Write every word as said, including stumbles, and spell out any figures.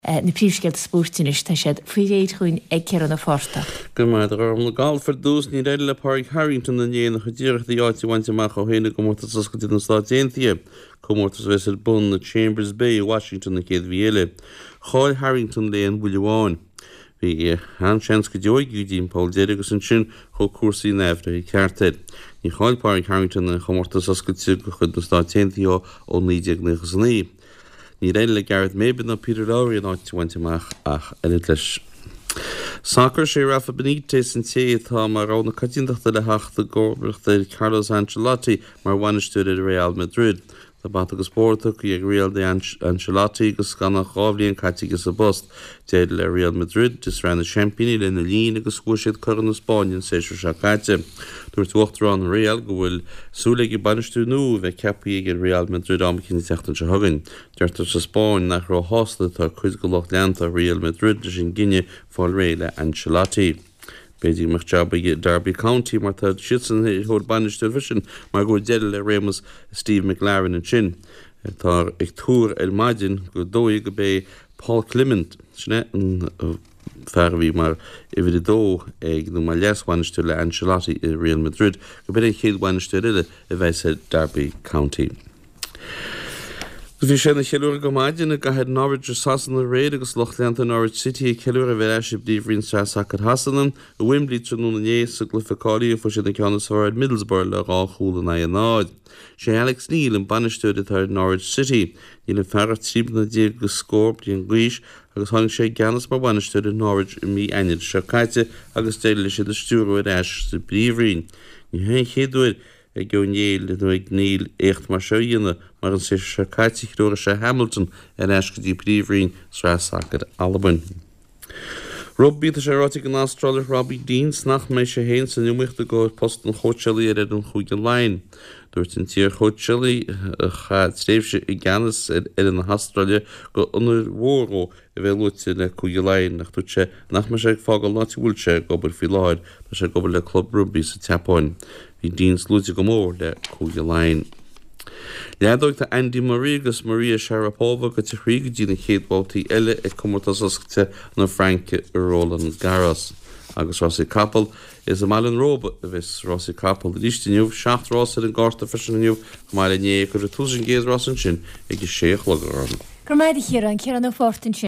Na príomhscéalta spóirt anois, tá siad faoi réir chugainn ag Ciarán Ó Fátharta. Go maith orm le galf ar dtús níor éirigh le Pádraig Harrington inné ina chuid iarrachtaí áit a bhaint amach ó shin i gcomórtas oscailte na Stát Aontaithe, comórtas a bheas ar bun i Chambers Bay i Washington an chéad mhí eile. Chaill Harrington le haon bhuille amháin. Bhí an-seans go deo aige go dtí an poll deiridh agus ansin chuaigh cúrsaí in aimhréidh ceart air. Níor chaill Pádraig Harrington aon chomórtas oscailte de chuid na Stát Aontaithe ó naoi déag nócha is a naoi. Níor éirigh le Gareth Maybin ná Peter Lawrie an áit a bhaint amach ach oiread leis. Sacar sé Rafa Benitez an té atá mar rogha na coitiantachta le theacht i gcomharbacht ar Carlos Ancelotti mar bhainisteoir ar Real Madrid. Tá bata agus bord tugtha ag Real d'Ancelotti agus gan ach dhá bhliain caite aige sa bpost. D'éirigh le Real Madrid i Sraith na Seaimpíní lena linn agus bhuaigh siad Corn na Spáinne an séasúr seo caite. Dúirt Uachtarán Real go bhfuil súil aige bainisteoir nua a bheith ceaptha ag Real Madrid am éicint an tseachtain seo chugainn. Deirtear sa Spáinn nach róshásta atá cuid de lucht leanta Real Madrid leis an gcinneadh fáil réidh le Ancelotti. B'fhéidir go mbeadh jab ag Derby County mar tá siadsan ar thóir bainisteoir freisin mar go bhfuil deireadh le réimeas Steve McClaren ansin. Tá ag tuar ar maidin gur dóigh go mbeidh Paul Clement sin é an fear a bhí mar uimhir a dó ag nó mar leasbhainisteoir le Ancelotti i Real Madrid go b'in an chéad bhainisteoir eile a bheas ar Derby County. Bhí sé ina cheiliúradh go maidin i gcathair Norwich i Sasana aréir agus lucht leanta Norwich City ag ceiliúradh a bheith ar ais i bpríomhroinn sraith sacair Shasana i Wembley tráthnóna inné sa gcluiche cáilithe fuair siad an ceann is fearr ar Middlesbrough le dhá chúl in aghaidh a náid. Sé Alex Neil an bainisteoir atá ar Norwich City. Níl an fear ach trí bliana déag agus scór bliain d'aois agus tháinig sé i gceannas mar bhainisteoir ar Norwich i mí Eanáir seo caite agus d'éirigh leis iad a stiúradh ar ais sa bpríomhroinn. Ní hé an chéad uair ag O'Neill nó ag Neil éacht mar seo a dhéanamh mar an séasúr seo caite threoraigh sé Hamilton ar ais go dtí príomhroinn sraith sacair Albain. Rugbaí tá sé ráite ag an Astrálach Robbie Deans nach mbeidh sé féin san iomaíocht i gcomhair post an chóitseálaí ar fhoireann Chúige Laighean. Dúirt an t-iarchóitseálaí a chaith tréimhse i gceannas ar fhoireann na hAstráile gur onóir mhór dó a bheith luaite le Cúige Laighean ach dúirt sé nach mbeidh sé ag fágáil an áit a bhfuil sé ag obair faoi láthair tá sé ag obair le club rugbaí sa tSeapáin. Bhí Deans luaite go mór le Cúige Laighean. Leadóg tá Andy Murray agus Maria Sharapova gaibhte thríd go dtí na chéad bhabhtaí eile ag comórtas oscailte na Fraince i Roland Garros. Agus rásaí capall is i mBaile an Róba a bheas rásaí capall arís inniu seacht rás ar an gcárta freisin inniu chomh maith le inné cuirfear tús an gcéad rás ansin ag a sé a chlog orm. Go maith a Chiaráin Ciarán Ó Fátharta ansin.